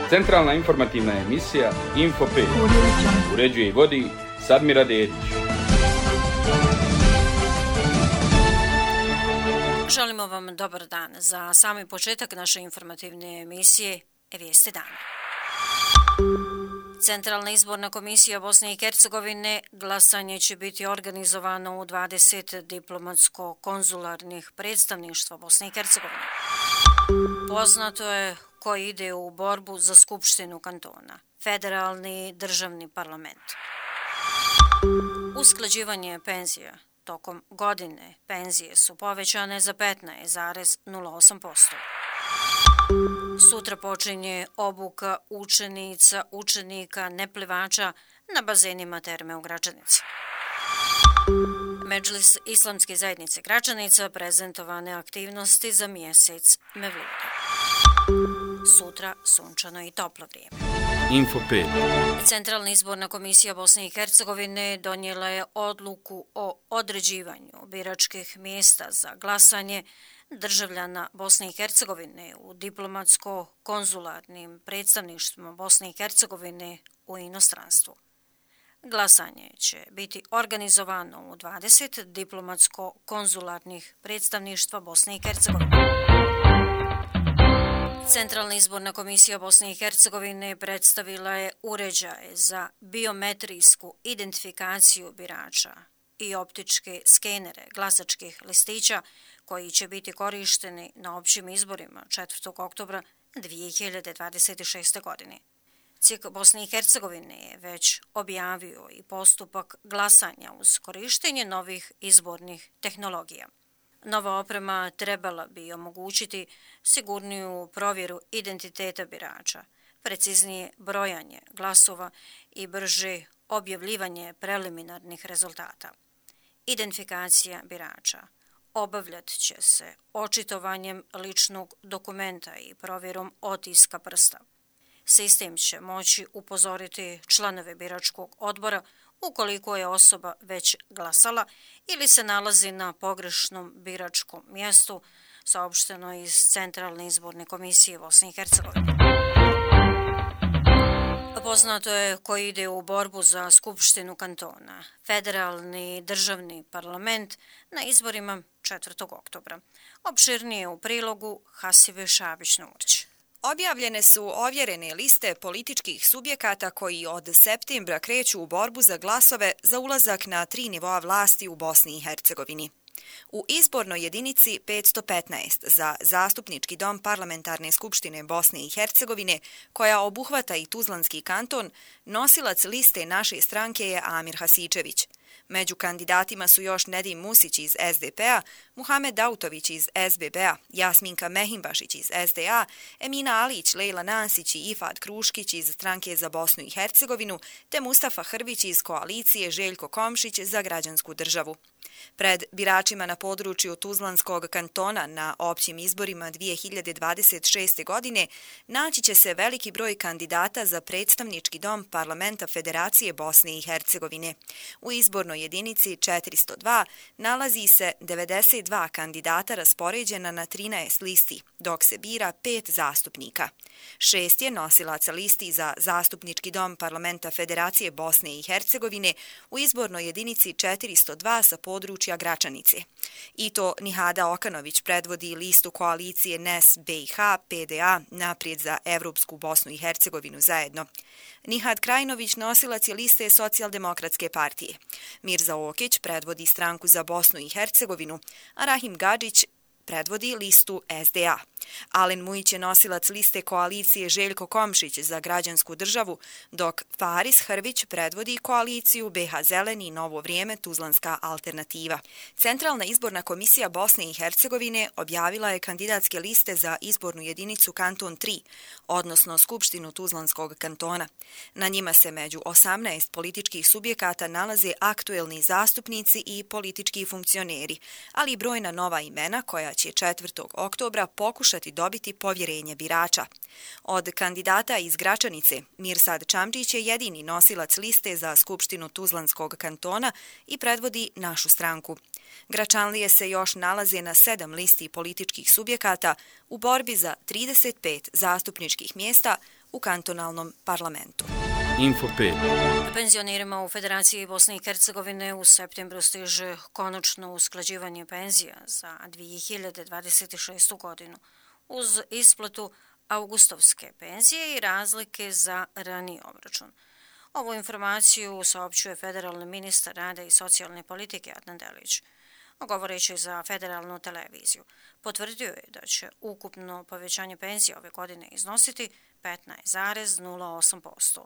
Centralna informativna emisija Info 5. Uređuje i vodi Sadmira Dedić. Želimo vam dobar dan. Za sami početak naše informativne emisije Vijesti dana. Centralna izborna komisija Bosne i Hercegovine glasanje će biti organizovano u 20 diplomatsko-konzularnih predstavništva Bosne i Hercegovine. Poznato je ko ide u borbu za Skupštinu kantona, federalni državni parlament. Usklađivanje penzija. Tokom godine penzije su povećane za 15,08%. Sutra počinje obuka učenika neplivača na bazenima terme u Gračanici. Medžlis Islamske zajednice Gračanica prezentovane aktivnosti za mjesec Mevluda. Sutra sunčano i toplo vrijeme. Info 5. Centralna izborna komisija Bosne i Hercegovine donijela je odluku o određivanju biračkih mjesta za glasanje državljana Bosne i Hercegovine u diplomatsko-konzularnim predstavništvima Bosne i Hercegovine u inostranstvu. Glasanje će biti organizovano u 20 diplomatsko-konzularnih predstavništva Bosne i Hercegovine. Centralna izborna komisija Bosne i Hercegovine predstavila je uređaje za biometrijsku identifikaciju birača i optičke skenere glasačkih listića koji će biti korišteni na općim izborima 4. oktobra 2026. godine. CIK Bosne i Hercegovine je već objavio i postupak glasanja uz korištenje novih izbornih tehnologija. Nova oprema trebala bi omogućiti sigurniju provjeru identiteta birača, preciznije brojanje glasova i brže objavljivanje preliminarnih rezultata. Identifikacija birača obavljat će se očitovanjem ličnog dokumenta i provjerom otiska prsta. Sistem će moći upozoriti članove biračkog odbora ukoliko je osoba već glasala ili se nalazi na pogrešnom biračkom mjestu, saopšteno iz Centralne izborne komisije Bosne i Hercegovine. Poznato je ko ide u borbu za Skupštinu kantona, federalni državni parlament na izborima 4. oktobra. Opširnije u prilogu Hasibe Šabić-Nurić. Objavljene su ovjerene liste političkih subjekata koji od septembra kreću u borbu za glasove za ulazak na 3 nivoa vlasti u Bosni i Hercegovini. U izbornoj jedinici 515 za Zastupnički dom Parlamentarne skupštine Bosne i Hercegovine, koja obuhvata i Tuzlanski kanton, nosilac liste naše stranke je Amir Hasičević. Među kandidatima su još Nedim Musić iz SDP-a, Muhamed Dautović iz SBB-a, Jasminka Mehimbašić iz SDA, Emina Alić, Lejla Nasić i Ifad Kruškić iz Stranke za Bosnu i Hercegovinu, te Mustafa Hrvić iz koalicije Željko Komšić za Građansku državu. Pred biračima na području Tuzlanskog kantona na općim izborima 2026. godine naći će se veliki broj kandidata za predstavnički dom Parlamenta Federacije Bosne i Hercegovine. U izbornoj jedinici 402 nalazi se 92 kandidata raspoređena na 13 listi, dok se bira 5 zastupnika. 6 je nosilaca listi za Zastupnički dom Parlamenta Federacije Bosne i Hercegovine u izbornoj jedinici 402 sa područja Gračanice. I to Nihada Okanović predvodi listu koalicije NES BiH PDA Naprijed za Evropsku Bosnu i Hercegovinu zajedno. Nihad Krajnović nosilac je liste Socijaldemokratske partije. Mirza Okić predvodi Stranku za Bosnu i Hercegovinu, a Rahim Gadžić predvodi listu SDA. Alen Mujić je nosilac liste koalicije Željko Komšić za Građansku državu, dok Faris Hrvić predvodi koaliciju BiH Zeleni Novo vrijeme Tuzlanska alternativa. Centralna izborna komisija Bosne i Hercegovine objavila je kandidatske liste za izbornu jedinicu Kanton 3, odnosno Skupštinu Tuzlanskog kantona. Na njima se među 18 političkih subjekata nalaze aktuelni zastupnici i politički funkcioneri, ali i brojna nova imena koja će 4. oktobra pokušati dobiti povjerenje birača. Od kandidata iz Gračanice, Mirsad Čamčić je jedini nosilac liste za Skupštinu Tuzlanskog kantona i predvodi našu stranku. Gračanlije se još nalaze na 7 listi političkih subjekata u borbi za 35 zastupničkih mjesta u kantonalnom parlamentu. Info 5. Penzionerima u Federaciji Bosne i Hercegovine u septembru stiže konačno usklađivanje penzija za 2026. godinu uz isplatu augustovske penzije i razlike za raniji obračun. Ovu informaciju saopćuje federalni ministar rada i socijalne politike Adnan Delić. Govoreći za federalnu televiziju, potvrdio je da će ukupno povećanje penzija ove godine iznositi 15,08%.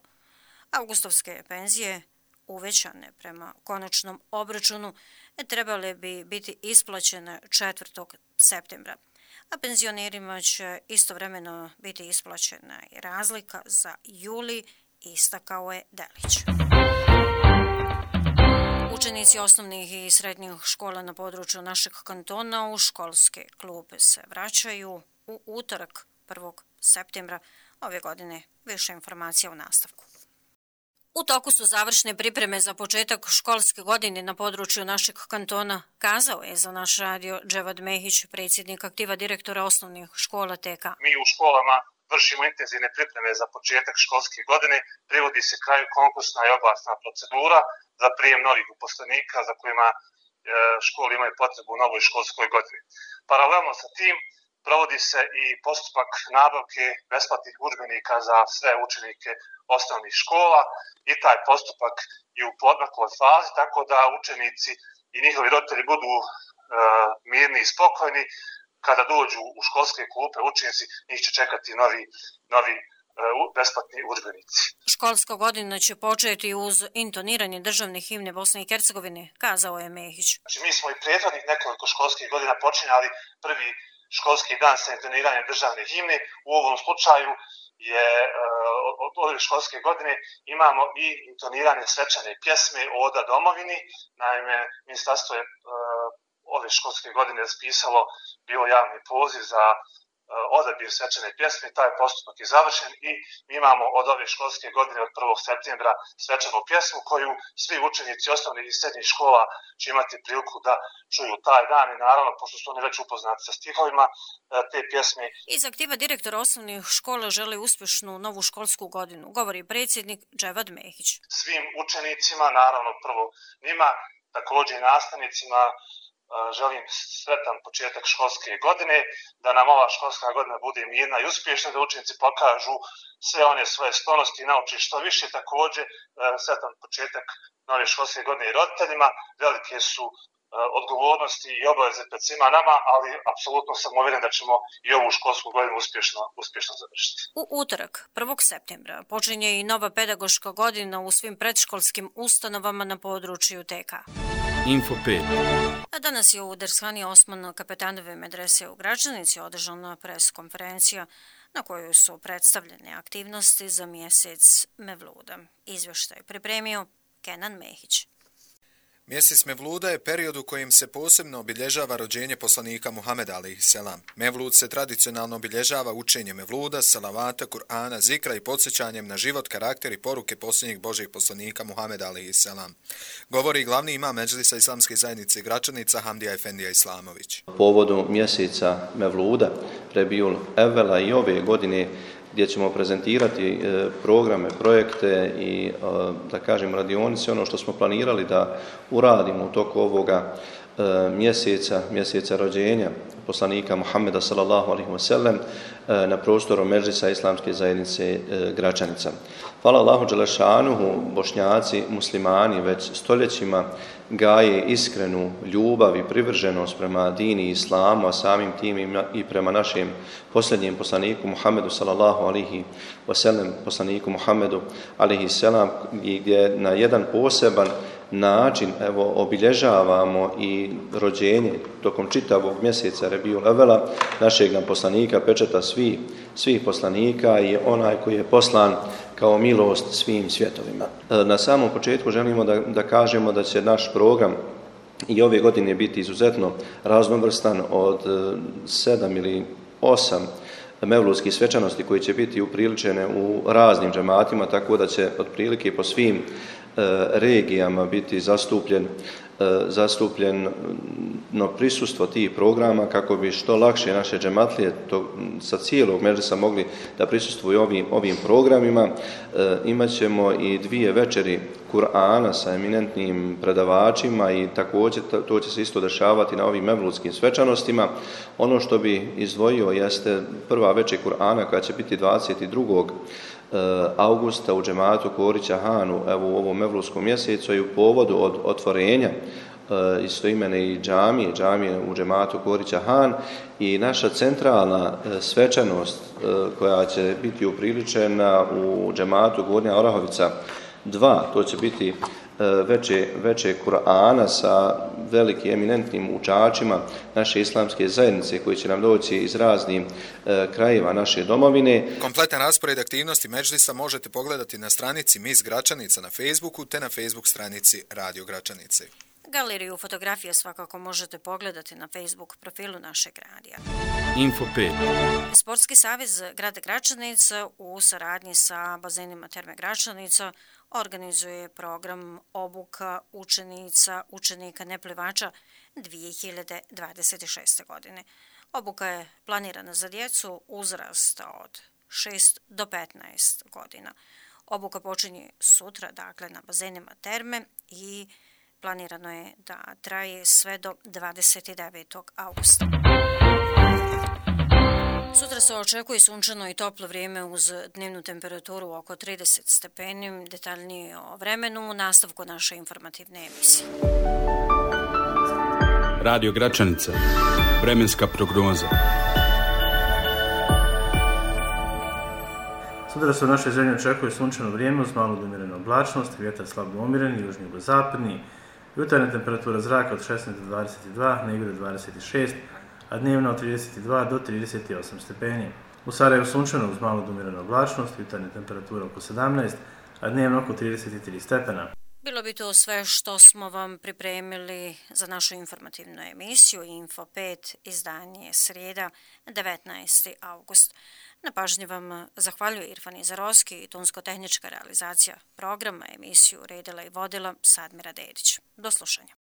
Augustovske penzije, uvećane prema konačnom obračunu, trebale bi biti isplaćene 4. septembra, a penzionerima će istovremeno biti isplaćena i razlika za juli, istakao je Delić. Učenici osnovnih i srednjih škola na području našeg kantona u školske klupe se vraćaju u utorak 1. septembra ove godine. Više informacija u nastavku. U toku su završne pripreme za početak školske godine na području našeg kantona, kazao je za naš radio Dževad Mehić, predsjednik aktiva direktora osnovnih škola TK. Mi u školama vršimo intenzivne pripreme za početak školske godine, privodi se kraju konkursna i oglasna procedura za prijem novih uposlenika za kojima škole imaju potrebu u novoj školskoj godini. Paralelno sa tim provodi se i postupak nabavke besplatnih udžbenika za sve učenike osnovnih škola i taj postupak je u poodmakloj fazi, tako da učenici i njihovi roditelji budu mirni i spokojni. Kada dođu u školske klupe učenici, njih će čekati novi besplatni udžbenici. Školska godina će početi uz intoniranje državne himne Bosne i Hercegovine, kazao je Mehić. Znači, mi smo i prethodnih nekoliko školskih godina počinjali prvi školski dan sa intoniranjem državne himne. U ovom slučaju je od ove školske godine imamo i intoniranje svečane pjesme Oda domovini. Naime, ministarstvo je ove školske godine raspisalo bio javni poziv za odabir svečane pjesme, taj postupak je završen i mi imamo od ove školske godine od 1. septembra svečanu pjesmu koju svi učenici osnovnih i srednjih škola će imati priliku da čuju taj dan i naravno, pošto su oni već upoznati sa stihovima te pjesme. Iz aktiva direktora osnovnih škola žele uspješnu novu školsku godinu, govori predsjednik Dževad Mehić. Svim učenicima, naravno prvo njima, također i nastavnicima, želim sretan početak školske godine, da nam ova školska godina bude mirna i uspješna, da učenici pokažu sve one svoje sklonosti i nauči što više. Također sretan početak nove školske godine i roditeljima. Velike su odgovornosti i obaveze pred svima nama, ali apsolutno sam uvjeren da ćemo i ovu školsku godinu uspješno završiti. U utorak, 1. septembra, počinje i nova pedagoška godina u svim predškolskim ustanovama na području TK. Info 5. A danas je u Dershani Osman Kapetanove medrese u Gračanici održana pres-konferencija na kojoj su predstavljene aktivnosti za mjesec Mevluda. Izvještaj pripremio Kenan Mehić. Mjesec Mevluda je period u kojem se posebno obilježava rođenje poslanika Muhameda a.s. Mevlud se tradicionalno obilježava učenjem Mevluda, salavata, Kur'ana, zikra i podsjećanjem na život, karakter i poruke posljednjih Božjih poslanika Muhameda a.s. Govori glavni imam Medžlisa Islamske zajednice Gračanica Hamdija Efendija Islamović. Povodu mjeseca Mevluda, Rebiul Evvela i ove godine gdje ćemo prezentirati programe, projekte i, da kažem, radionice, ono što smo planirali da uradimo u toku ovoga mjeseca rođenja poslanika Muhammeda sallallahu alejhi ve sellem na prostoru Medžlisa Islamske zajednice Gračanica. Hvala Allahu dželešanuhu, Bošnjaci, muslimani već stoljećima gaje iskrenu ljubav i privrženost prema dini i islamu, a samim tim i prema našem posljednjem poslaniku Muhammedu sallallahu alejhi ve sellem, poslaniku Muhammedu alejhi selam, gdje na jedan poseban način obilježavamo i rođenje tokom čitavog mjeseca Rebiul Evvela našeg poslanika, pečata svih poslanika i onaj koji je poslan kao milost svim svjetovima. Na samom početku želimo da kažemo da će naš program i ove godine biti izuzetno raznovrstan od 7 ili 8 mevludskih svečanosti koji će biti upriličene u raznim džematima, tako da će otprilike po svim regijama biti zastupljen zastupljeno prisustvo tih programa kako bi što lakše naše džematlije sa cijelog medresa mogli da prisustvuju ovim programima. Imaćemo i 2 večeri Kur'ana sa eminentnim predavačima i također to će se isto dešavati na ovim mevludskim svečanostima. Ono što bi izdvojio jeste prva večer Kur'ana koja će biti 22. augusta u džematu Korića Hanu, evo u ovom mevludskom mjesecu i u povodu od otvorenja istoimene i džamije u džematu Korića Han i naša centralna svečanost koja će biti upriličena u džematu Gornja Orahovica 2, to će biti veče Kur'ana sa velikim eminentnim učačima naše islamske zajednice koji će nam doći iz raznih krajeva naše domovine. Kompletan raspored aktivnosti Medžlisa možete pogledati na stranici Mis Gračanica na Facebooku te na Facebook stranici Radio Gračanice. Galeriju fotografije svakako možete pogledati na Facebook profilu našeg radija. Info 5. Sportski savez grada Gračanica u saradnji sa bazenima Terme Gračanica organizuje program obuka učenika neplivača 2026. godine. Obuka je planirana za djecu uzrasta od 6 do 15 godina. Obuka počinje sutra, dakle, na bazenima Terme i planirano je da traje sve do 29. augusta. Sutra se očekuje sunčano i toplo vrijeme uz dnevnu temperaturu oko 30 stepeni. Detaljnije o vremenu u nastavku naše informativne emisije. Radio Gračanica. Vremenska prognoza. Sutra se u našoj zemlji očekuje sunčano vrijeme uz malu do umjerenu oblačnost, vjetar slabo umjeren, južni jugozapadni, jutarnja temperatura zraka od 16 do 22, negdje do 26, a dnevno od 32 do 38 stepeni. U Sarajevu sunčano uz malu do umjerenu oblačnost, jutarnja temperatura oko 17, a dnevno oko 33 stepena. Bilo bi to sve što smo vam pripremili za našu informativnu emisiju Info 5, izdanje srijeda, 19. august. Na pažnji vam zahvaljuje Irfan Izarovski i tonsko-tehnička realizacija programa, emisiju redila i vodila Sadmira Dedić. Do slušanja.